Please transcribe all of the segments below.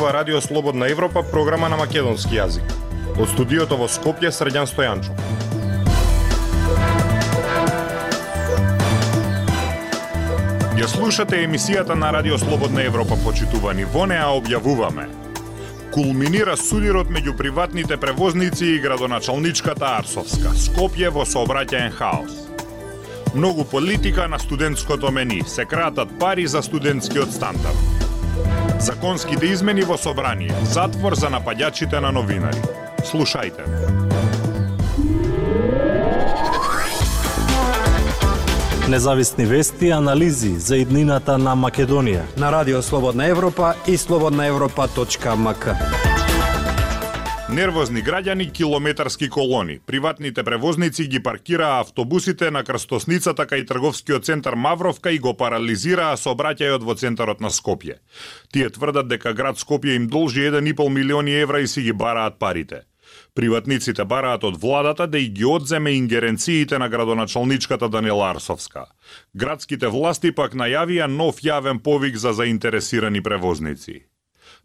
ова Радио Слободна Европа, програма на македонски јазик. Од студиото во Скопје, Срđan Стојанчов. Ја слушате емисијата на Радио Слободна Европа, почитувани. Во неа објавуваме: кулминира судирот меѓу приватните превозници и градоначалничката Арсовска. Скопје во сообраќаен хаос. Многу политика на студентското мени. Се кратат пари за студентскиот стандард. Законските измени во собрание. Затвор за напаѓачите на новинари. Слушајте. Независни вести и анализи за иднината на Македонија на Радио Слободна Европа и slobodnaevropa.mk. Нервозни граѓани, километарски колони. Приватните превозници ги паркираа автобусите на крстосницата кај трговскиот центар Мавровка и го парализираа сообраќајот во центарот на Скопје. Тие тврдат дека град Скопје им должи 1,5 милиони евра и си ги бараат парите. Приватниците бараат од владата да и ги одземе ингеренциите на градоначалничката Даниела Арсовска. Градските власти пак најавија нов јавен повик за заинтересирани превозници.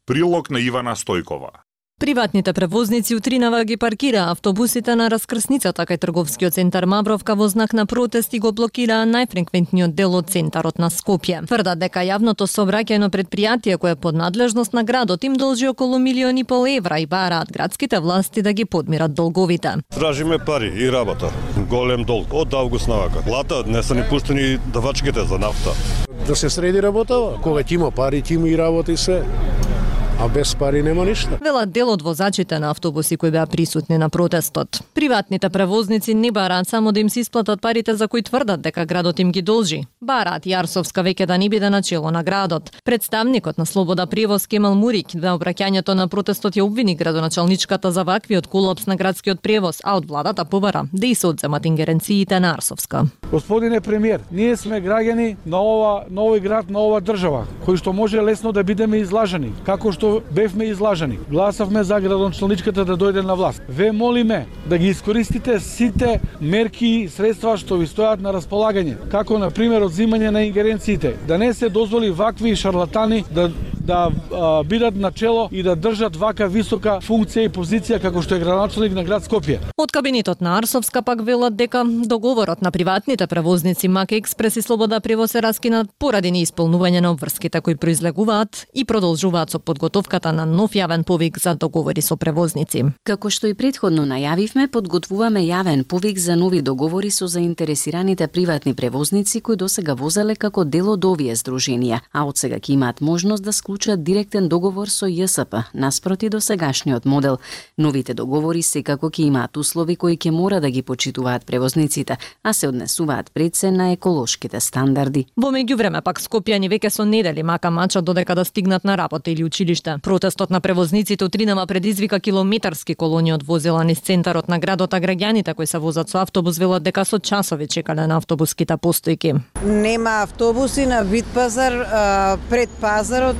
Прилог на Ивана Стојкова. Приватните превозници утринава ги паркираа автобусите на раскрсницата кај трговскиот центар Мавровка во знак на протест и го блокираа најфреквентниот дел од центарот на Скопје. Тврдат дека јавното сообраќајно предпријатие кое е под надлежност на градот им должи околу 1,5 милиони евра и бараат градските власти да ги подмират долговите. Тражиме пари и работа. Голем долг од август навака. Лата не се ни пуштени давачките за нафта. Да се среди работава. Кога ќе има пари, ќе има и работа и се. А без пари нема ништа. Велат дел од возачите на автобуси кои беа присутни на протестот. Приватните превозници не бараат само да им се исплатат парите за кои тврдат дека градот им ги должи. Бараат и Арсовска веќе да не биде начело на градот. Представникот на Слобода превоз Кемал Мурик на обраќањето на протестот ја обвини градоначалничката за ваквиот колапс на градскиот превоз, а од владата побара да и се одземат ингеренциите на Арсовска. Господине премиер, ние сме граѓани на овој град, на ова држава, кои што може лесно да бидеме излажани, како што бевме излажани. Гласавме за градоначалничката да дојде на власт. Ве молиме да ги искористите сите мерки и средства што ви стојат на располагање, како на пример одзимање на ингеренциите, да не се дозволи вакви шарлатани да бидат начело и да држат вака висока функција и позиција како што е градоначалник на град Скопје. Од кабинетот на Арсовска пак велат дека договорот на приватните превозници Мака Експрес и Слобода превоз се раскинат поради неисполнување на обврските кои произлегуваат и продолжуваат со подготовката на нов јавен повик за договори со превозници. Како што и претходно најавивме, подготвуваме јавен повик за нови договори со заинтересираните приватни превозници кои досега возеле како дел од овие здруженија, а од сега ќе имаат можност да склучат директен договор со ЈСП, наспроти до сегашниот модел. Новите договори секако ќе имаат услови кои ќе мора да ги почитуваат превозниците, а се однесуваат пред се на еколошките стандарди. Во меѓувреме пак скопјани веќе со недели мака мачат додека да стигнат на работа или училиште. Протестот на превозниците утринава предизвика километарски колони од возила низ центарот на градот, а граѓаните кои се возат со автобус велат дека со часови чекале на автобуските постојки. Нема автобуси на Вит пазар, пред пазарот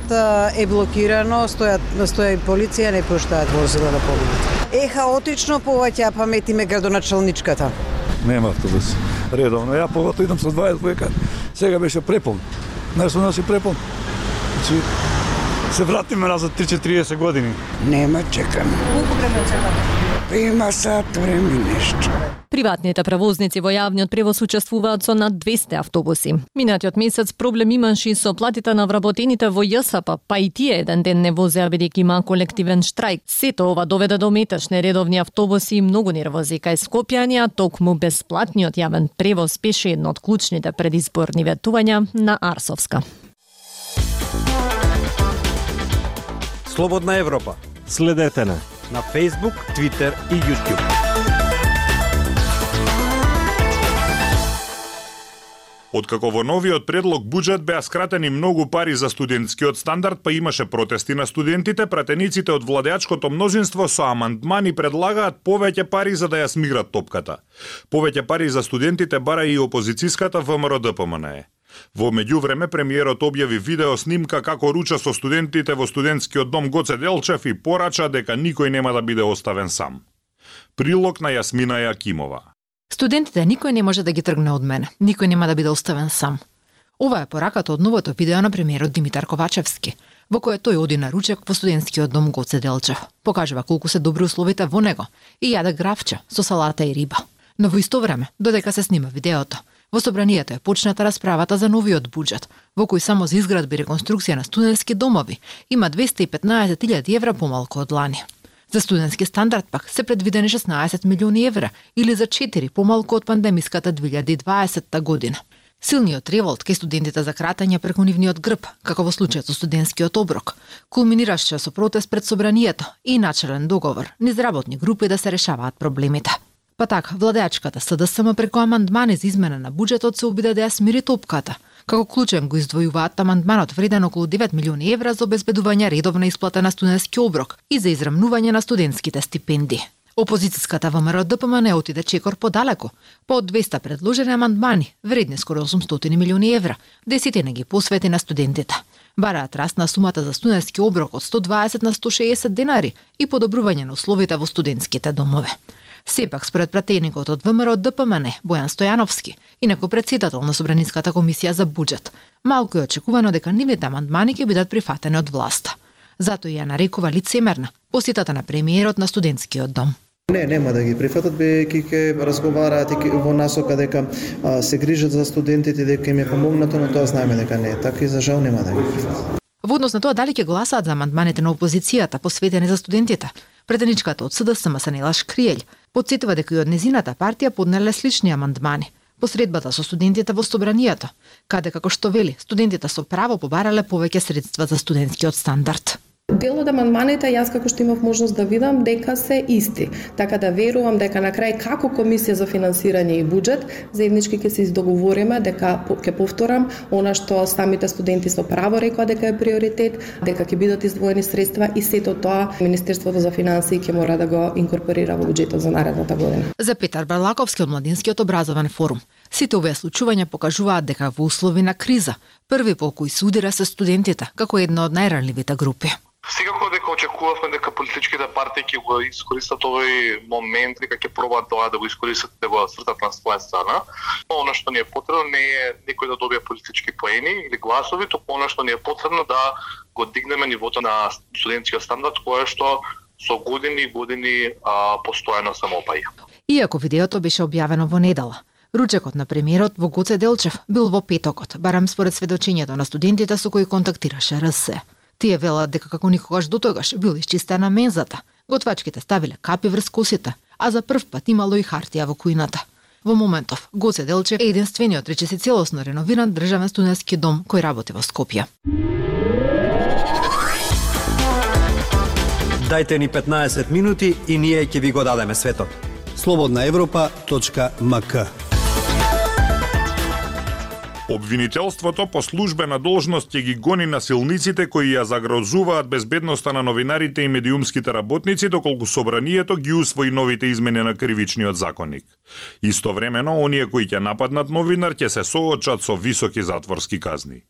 е блокирано, стоја и полиција, не пуштаат возила да поминат. Хаотично повеќе паметиме градоначалничката. Нема автобус. Редовно. Ја поготово идам со 20 војка. Сега беше препон. Знаеш што носи препон? Значи, се вратиме назад 30 години. Нема чекаме. Колку време чекаме? Има сат време нешто. Приватните превозници во јавниот превоз учествуваат со над 200 автобуси. Минатиот месец проблем имаше и со платите на вработените во ЈСП, па и тие еден ден не возеа бидејќи има колективен штрајк. Сето ова доведе до метеж нередовни автобуси и многу нервози кај скопјани, а токму бесплатниот јавен превоз беше едно од клучните предизборни ветувања на Арсовска. Слободна Европа. Следете на Facebook, Twitter и YouTube. Откако во новиот предлог буџет беа скратени многу пари за студентскиот стандард, па имаше протести на студентите, пратениците од владеачкото мнозинство со амандмани предлагаат повеќе пари за да ја смиграт топката. Повеќе пари за студентите бара и опозицијската ВМРО-ДПМНЕ. Во меѓувреме премиерот објави видео снимка како руча со студентите во студентскиот дом Гоце Делчев и порача дека никој нема да биде оставен сам. Прилог на Јасмина Јакимова. Студентите никој не може да ги тргне од мене. Никој нема да биде оставен сам. Ова е пораката од новото видео на премиерот Димитар Ковачевски. во кое тој оди на ручек во студентскиот дом Гоце Делчев. Покажува колку се добри условите во него и јаде гравче со салата и риба. Но во исто време, додека се снима видеото, во собранието е почната расправата за новиот буџет, во кој само за изградба и реконструкција на студентски домови има 215.000 евра помалку од лани. За студентски стандард пак се предвидени 16 милиони евра или за 4 помалку од пандемиската 2020 година. Силниот револт кај студентите за кратење преку нивниот грб, како во случајот со студентскиот оброк, кулминираше со протест пред собранието и начелен договор низ работни групи да се решаваат проблемите. Па така, владеачката СДСМ преку амандмани за измена на буџетот се обиде да ја смири топката. Како клучен го издвојуваат амандманот вреден околу 9 милиони евра за обезбедување редовна исплата на студентски оброк и за израмнување на студентските стипендии. Опозицијската ВМРО ДПМН отиде чекор подалеку, по 200 предложени амандмани, вредни скоро 800 милиони евра, десетина ги посвети на студентите. Бараат раст на сумата за студентски оброк од 120 на 160 денари и подобрување на условите во студентските домове. Сепак, според пратеникот од ВМРО ДПМН, Бојан Стојановски, инаку председател на Собраниската комисија за буџет, малку е очекувано дека нивните амандмани ќе бидат прифатени од власта. Затоа ја нарекува лицемерна посетата на премиерот на студентскиот дом. Не, нема да ги прифатат, бидејќи ќе разговараат во насока дека се грижат за студентите, дека им е помогнато, но тоа знаеме дека не е така и за жал нема да ги прифатат. Во однос на тоа дали ќе гласаат за амандманите на опозицијата посветени за студентите, претеничката од СДСМ Санела Шкријел потсетува дека и од незината партија поднеле слични амандмани по средбата со студентите во собранието, каде како што вели, студентите со право побарале повеќе средства за студентскиот стандард. Дел од амандманите јас како што имав можност да видам дека се исти, така да верувам дека на крај како Комисија за финансирање и буџет заеднички ќе се договориме дека ќе повторам она што самите студенти со право рекоа дека е приоритет, дека ќе бидат издвоени средства и сето тоа Министерството за финансии ќе мора да го инкорпорира во буџетот за наредната година. За Петар Барлаковски од Младинскиот образовен форум, сите овие случувања покажуваат дека во услови на криза, први по кој се удира се студентите како една од најранливите групи. Секако дека очекувавме дека политичките партии ќе го искористат овој момент, дека ќе пробаат тоа да го искористат да го свртат на своја страна. Она што ни е потребно не е некој да добие политички поени или гласови, туку она што ни е потребно да го дигнеме нивото на студентскиот стандард, кое што со години и години постојано само опаја. Иако видеото беше објавено во недела, ручекот на премиерот во Гоце Делчев бил во петокот, барем според сведочењето на студентите со кои контактираше РС. Тие велат дека како никогаш дотогаш бил исчистена мензата, готвачките ставиле капи врз косите, а за прв пат имало и хартија во кујната. Во моментов, Гоце Делчев е единствениот речиси целосно реновиран државен студентски дом кој работи во Скопје. Дајте ни 15 минути и ние ќе ви го дадеме светот. slobodnaevropa.mk. Обвинителството по службена должност ќе ги гони насилниците кои ја загрозуваат безбедноста на новинарите и медиумските работници доколку собранието ги усвои новите измени на кривичниот законник. Истовремено, оние кои ќе нападнат новинар ќе се соочат со високи затворски казни.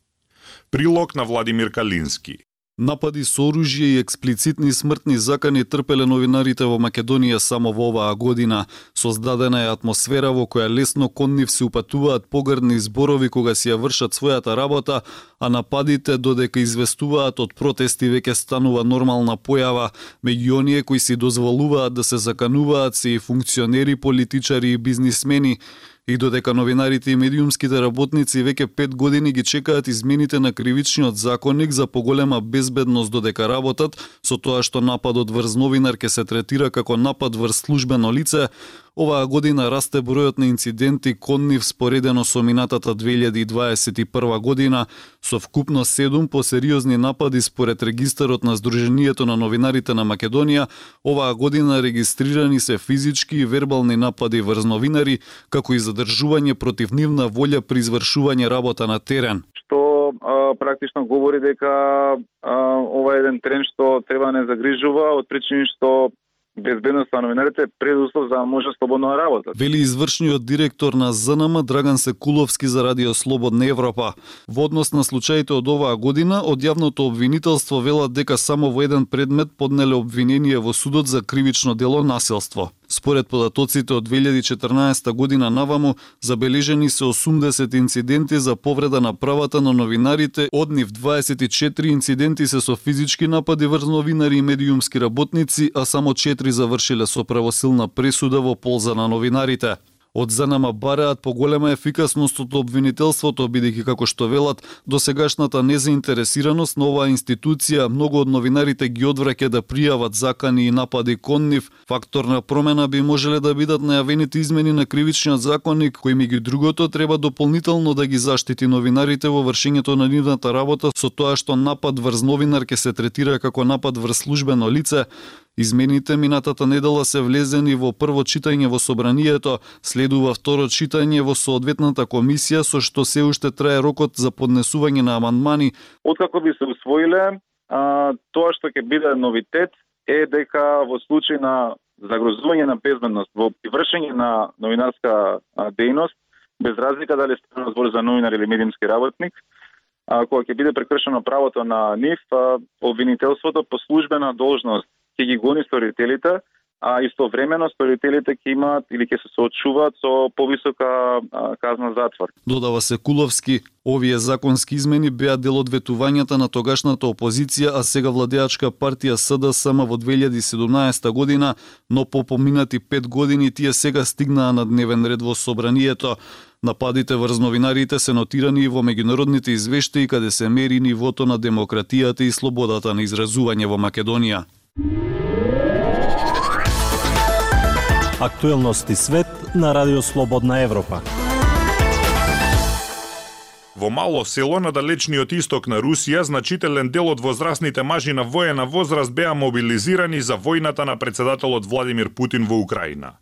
Прилог на Владимир Калински. Напади со оружје и експлицитни смртни закани трпеле новинарите во Македонија само во оваа година. Создадена е атмосфера во која лесно кон нив се упатуваат погрдни зборови кога си ја вршат својата работа, а нападите додека известуваат од протести веќе станува нормална појава. Меѓу оние кои си дозволуваат да се закануваат се и функционери, политичари и бизнисмени. И додека новинарите и медиумските работници веќе 5 години ги чекаат измените на кривичниот законник за поголема безбедност додека работат, со тоа што нападот врз новинар ќе се третира како напад врз службено лице, оваа година расте бројот на инциденти кон нив споредено со минатата 2021 година, со вкупно 7 посериозни напади според регистарот на Сдруженијето на новинарите на Македонија. Оваа година регистрирани се физички и вербални напади врз новинари, како и задржување против нивна волја при извршување работа на терен. Што практично говори дека ова е еден тренд што треба не загрижува од причини што безбедноста на новинарите е предуслов за да може слободно да работат. Вели извршниот директор на ЗНМ Драган Секуловски за Радио Слободна Европа. Во однос на случаите од оваа година, од јавното обвинителство велат дека само во еден предмет поднеле обвинение во судот за кривично дело насилство. Според податоците од 2014 година наваму, забележени се 80 инциденти за повреда на правата на новинарите, од нив 24 инциденти се со физички напади врз новинари и медиумски работници, а само 4 завршиле со правосилна пресуда во полза на новинарите. Од ЗНМ бараат поголема ефикасност од обвинителството, бидејќи како што велат, досегашната незаинтересираност на оваа институција многу од новинарите ги одвраќа да пријават закани и напади кон нив. Фактор на промена би можеле да бидат најавените измени на кривичниот законник, кои меѓу другото треба дополнително да ги заштити новинарите во вршењето на нивната работа со тоа што напад врз новинар ќе се третира како напад врз службено лице. Измените минатата недела се влезени во прво читање во собранието, следува второ читање во соодветната комисија, со што се уште трае рокот за поднесување на амандмани. Откако би се усвоиле, тоа што ќе биде новитет е дека во случај на загрозување на безбедност во вршење на новинарска дејност, без разлика дали станува збор за новинар или медиумски работник, кога ќе биде прекршено правото на нив, обвинителството по службена должност ќе ги гони сторителите, а истовремено сторителите ќе имаат или ќе се соочуваат со повисока казна затвор. Додава се Куловски, овие законски измени беа дел од ветувањата на тогашната опозиција, а сега владеачка партија СДСМ во 2017 година, но по поминати 5 години тие сега стигнаа на дневен ред во собранието. Нападите врз новинарите се нотирани и во меѓународните извештаи каде се мери нивото на демократијата и слободата на изразување во Македонија. Актуелности свет на Радио Слободна Европа. Во мало село на далечниот исток на Русија, значителен дел од возрастните мажи на воена возраст беа мобилизирани за војната на председателот Владимир Путин во Украина.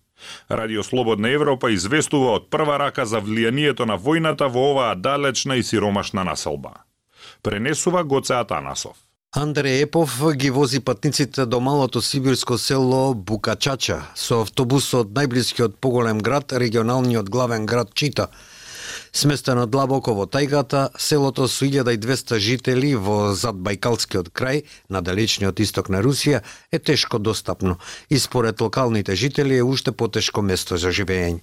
Радио Слободна Европа известува од прва рака за влијанието на војната во оваа далечна и сиромашна населба. Пренесува Гоце Атанасов. Андреј Епов ги вози патниците до малото сибирско село Букачача со автобус од најблискиот поголем град, регионалниот главен град Чита. Сместено длабоко во тајгата, селото со 1200 жители во задбајкалскиот крај, на далечниот исток на Русија, е тешко достапно и според локалните жители е уште потешко место за живење.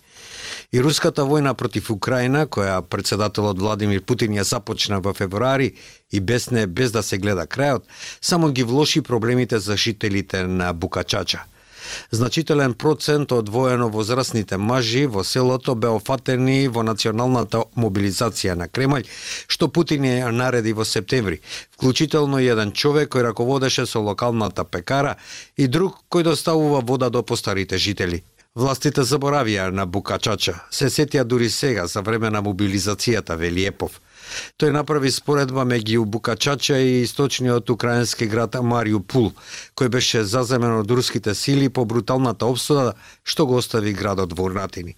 И руската војна против Украина, која председателот Владимир Путин ја започна во февруари и без да се гледа крајот, само ги влоши проблемите за жителите на Букачача. Значителен процент од воено возрастните мажи во селото беа офатени во националната мобилизација на Кремљ, што Путин ја нареди во септември, вклучително еден човек кој раководеше со локалната пекара и друг кој доставува вода до постарите жители. Властите заборавија на Букачача, се сетија дури сега за време на мобилизацијата, вели Епов. Тој направи споредба меѓу Букачача и источниот украински град Мариупул, кој беше заземен од руските сили по бруталната обсуда што го остави градот во урнатини.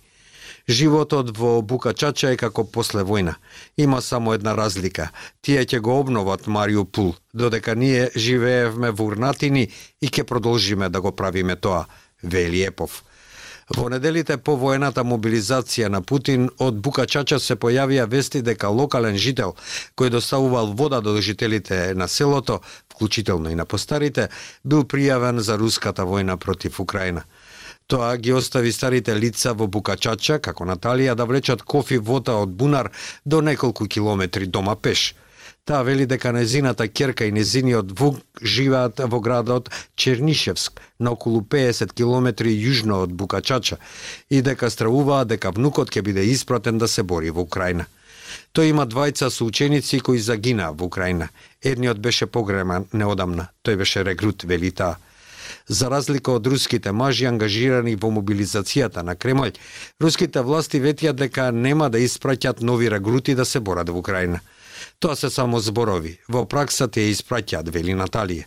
Животот во Букачача е како после војна. Има само една разлика. Тие ќе го обноват Мариупул, додека ние живеевме во урнатини и ќе продолжиме да го правиме тоа, вели Епов. Во неделите по воената мобилизација на Путин, од Букачача се појавија вести дека локален жител, кој доставувал вода до жителите на селото, вклучително и на постарите, бил пријавен за руската војна против Украина. Тоа ги остави старите лица во Букачача, како Наталија, да влечат кофи вода од бунар до неколку километри дома пеш. Таа вели дека незината ќерка и незиниот внук живеат во градот Чернишевск, на околу 50 километри јужно од Букачача, и дека стравуваат дека внукот ќе биде испратен да се бори во Украина. Тој има двајца соученици кои загинаа во Украина. Едниот беше погребан неодамна. Тој беше регрут, вели таа. За разлика од руските мажи ангажирани во мобилизацијата на Кремљ, руските власти ветија дека нема да испраќат нови регрути да се борат во Украина. Тоа се само зборови. Во пракса те испраќаат, вели Наталија.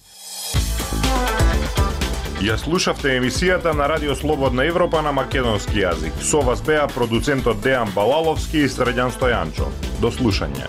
Ја слушавте емисијата на Радио Слободна Европа на македонски јазик. Со вас беа продуцентот Дејан Балаловски и Средјан Стојанчо. До слушање.